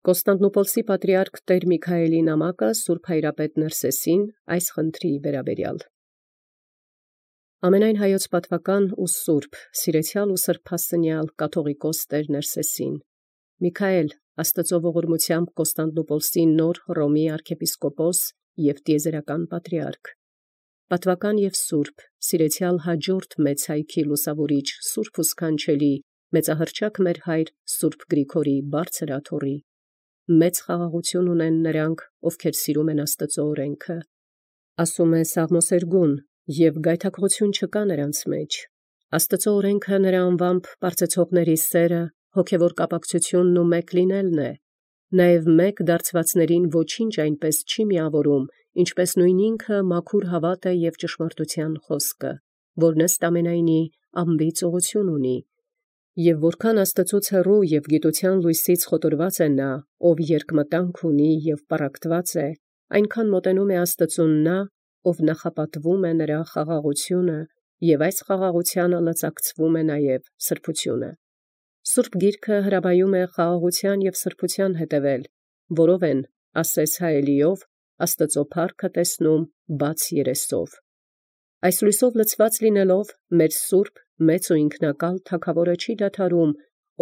Կոստանդնուպոլսի պատրիարք Տեր Միքայելի նամակը Սուրբ Հայրապետ Ներսեսին այս խնդրի վերաբերյալ։ Ամենայն հայոց պատվական ու սուրբ, սիրեցյալ ու սրբասնյալ կաթողիկոս Տեր Ներսեսին, Միքայել, Աստծո ողորմությամբ Կոստանդնուպոլսի նոր Հռոմի arczepiskopos և տիեզերական պատրիարք, պատվական և սուրբ, սիրեցյալ հաջորդ մեծ հայքի լուսավորիչ սուրբ ու սքանչելի, մեծահռչակ մեր հայր Սուրբ Գրիգորի բարձր աթոռի, մեծ խաղաղություն ունեն նրանք, ովքեր սիրում են Աստծո օրենքը, ասում է Սաղմոսերգուն, և գայթակղություն չկա նրանց մեջ, Աստծո օրենքը նրա անվամբ պարծեցողների սերը, հոգևոր կապակցությունն ու մեկ լինելն է, նաև մեկ դարձվածներին ոչինչ այնպես չի միավորում, ինչպես նույն ինքը մաքուր հավատը և ճշմարտության խոսքը, որն ըստ ամենայնի անբիծ ուղղություն ունի, և որքան Աստծուց հեռու և գիտության լույսից խոտորված է նա, ով երկմտանք ունի և պառակտված է, այնքան մոտենում է Աստծուն նա, ով նախապատվում է նրա խաղաղությունը, և այս խաղաղությանը լծակցվում է նաև սրբությունը։ Սուրբ Գիրքը հրաբայում է խաղաղության և սրբության հետևել, որով են, ասես հայելիով, Աստծո փառքը տեսնում բաց երեսով։ Այս լույսով լցված լինելով, մեր սուրբ, մեծ ու ինքնակալ Թագավորը չի դադարում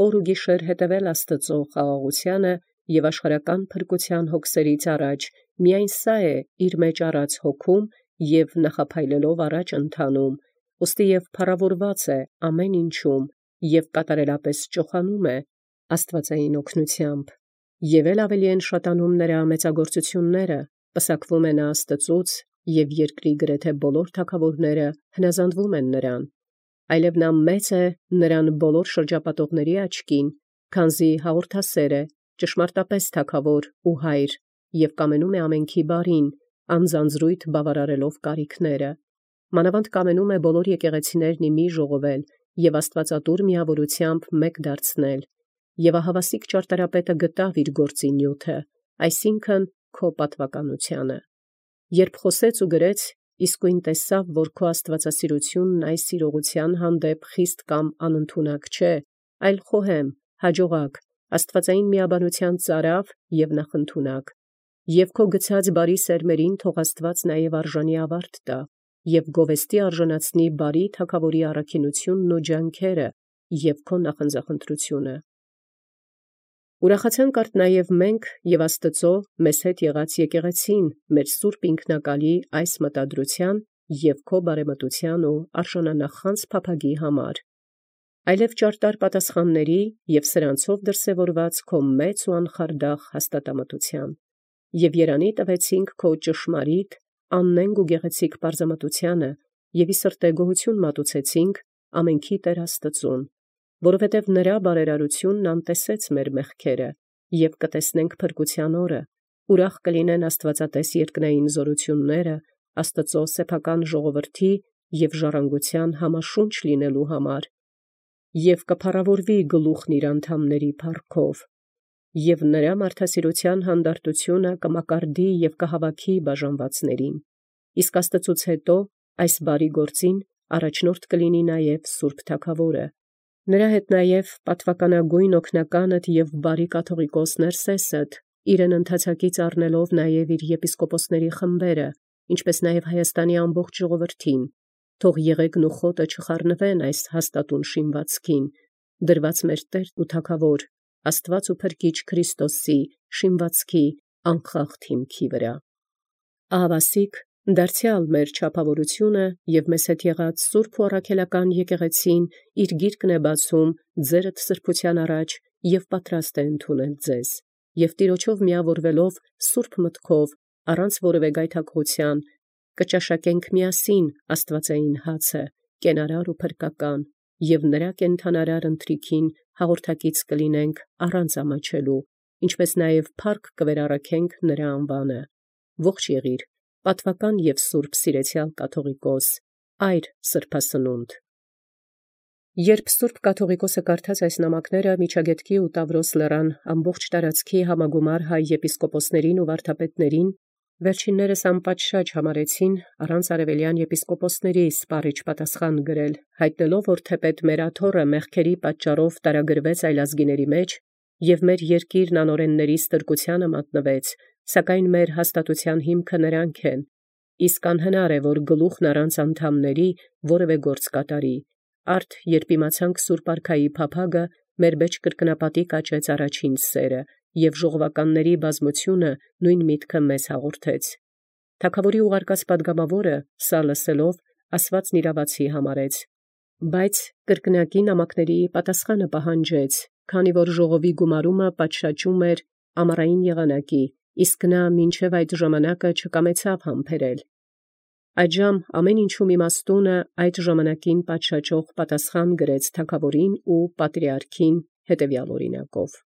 օր ու գիշեր հետևել Աստծո խաղաղությանը և աշխարհական փրկության հոգսերից առաջ միայն սա է իր մեջ առած հոգում և նախափայլելով առաջ ընթանում, ուստի և փառավորված է ամեն ինչում և կատարելապես ճոխանում է աստվածային օգնությամբ, և ավելի են շատանում նրա մեծագործությունները, պսակվում է նա Աստծուց, և երկրի գրեթե բոլոր թագավորները հնազանդվում են նրան, այլև նա մեծ է նրան բոլոր շրջապատողների աչքին, քանզի հաղորդասեր է, ճշմարտապես թագավոր ու հայր, և կամենում է ամենքի բարին, անձանձրույթ բավարարելով կարիքները, մանավանդ կամենում է բոլոր եկեղեցիներն ի մի ժողովել և աստվածատուր միավորությամբ մեկ դարձնել, և ահավասիկ ճարտարապետը գտավ իր գործի նյութը, այսինքն քո պատվականությանը։ Երբ խոսեց ու գրեց, իսկույն տեսավ, որ քո աստվածասիրությունն այս իրողության հանդեպ խիստ կամ անընդունակ չէ, այլ խոհեմ, հաջողակ, աստվածային միաբանության ծարավ և նախընդունակ, և քո գցած բարի սերմերին թող Աստված նաև արժանի ավարտ տա, և գովեստի արժանացնի բարի թագավորի առաքինությունն ու ջանքերը և քո նախընձախնդրությունը։ Ուրախացանք արդ նաև մենք և Աստծո մեզ հետ եղած եկեղեցին մեր սուրբ ինքնակալի այս մտադրության և քո բարեմտության ու արժանանախանձ փափագի համար, այլև ճարտար պատասխանների և սրանցով դրսևորված քո մեծ ու անխարդախ հաստատամտության, և երանի տվեցինք քո ճշմարիտ, աննենգ ու գեղեցիկ պարզամտությանը, և ի սրտե գոհություն մատուցեցինք ամենքի Տեր Աստծուն, որովհետև նրա բարերարությունն անտեսեց մեր մեղքերը, և կտեսնենք փրկության օրը, ուրախ կլինեն աստվածատես երկնային զորությունները Աստծո սեփական ժողովրդի և ժառանգության համաշունչ լինելու համար, և կփառավորվի գլուխն իր անդամների փառքով, և նրա մարդասիրության հանդարտությունը կմակարդի և կհավաքի բաժանվածներին, իսկ Աստծուց հետո այս բարի գործին առաջնորդ կլինի նաև Սուրբ Թագավորը, նրա հետ նաև պատվականագույն օգնականդ և բարի կաթողիկոս Ներսեսդ, իրեն ընթացակից առնելով նաև իր եպիսկոպոսների խմբերը, ինչպես նաև Հայաստանի ամբողջ ժողովրդին, թող եղեգն ու խոտը չխառնվեն այս հաստատուն շինվածքին, դրված մեր Տեր ու Թագավոր, Աստված ու Փրկիչ Քրիստոսի շինվածքի անխախտ հիմքի վրա։ Ահավասիկ դարձյալ մեր չափավորությունը և մեզ հետ եղած սուրբ ու առաքելական եկեղեցին իր գիրկն է բացում ձերդ սրբության առաջ և պատրաստ է ընդունել ձեզ, և Տիրոջով միավորվելով սուրբ մտքով, առանց որևէ գայթակղության, կճաշակենք միասին աստվածային հացը, կենարար ու փրկական, և նրա կենդանարար ընթրիքին հաղորդակից կլինենք առանց ամաչելու, ինչպես նաև փառք կվերառաքենք նրա անվանը։ Ողջ եղիր, պատվական և սուրբ սիրեցյալ կաթողիկոս, այր սրբասնունդ։ Երբ Սուրբ Կաթողիկոսը կարդաց այս նամակները Միջագետքի ու Տավրոս լեռան ամբողջ տարածքի համագումար հայ եպիսկոպոսներին ու վարդապետներին, վերջիններս անպատշաճ համարեցին առանց արևելյան եպիսկոպոսների սպառիչ պատասխան գրել, հայտնելով, որ թեպետ մեր աթոռը մեղքերի պատճառով տարագրվեց այլազգիների մեջ, Եւ մեր երկիրն անօրենների ստրկութեանը մատնվեց, սակայն մեր հաստատութեան հիմքը նրանք են, իսկ անհնար է, որ գլուխն առանց անդամների որևէ գործ կատարի, արդ երբ իմացանք Սուրբ Արքայի փափագը, մեր մեջ կրկնապատիկ աճեց առաջին սերը, եւ ժողովականների բազմությունը նույն միտքը մեզ հաղորդեց։ Թագաւորի ուղարկած պատգամաւորը սա լսելով ասվածն իրավացի համարեց, բայց կրկնակի նամակների պատասխանը պահանջեց, քանի որ ժողովի գումարումը պատշաճում էր ամառային եղանակի, իսկ նա մինչև այդ ժամանակը չկամեցավ համբերել։ Այժմ ամեն ինչում իմաստունը այդ ժամանակին պատշաճող պատասխան գրեց թագաւորին ու պատրիարքին հետևյալ օրինակով.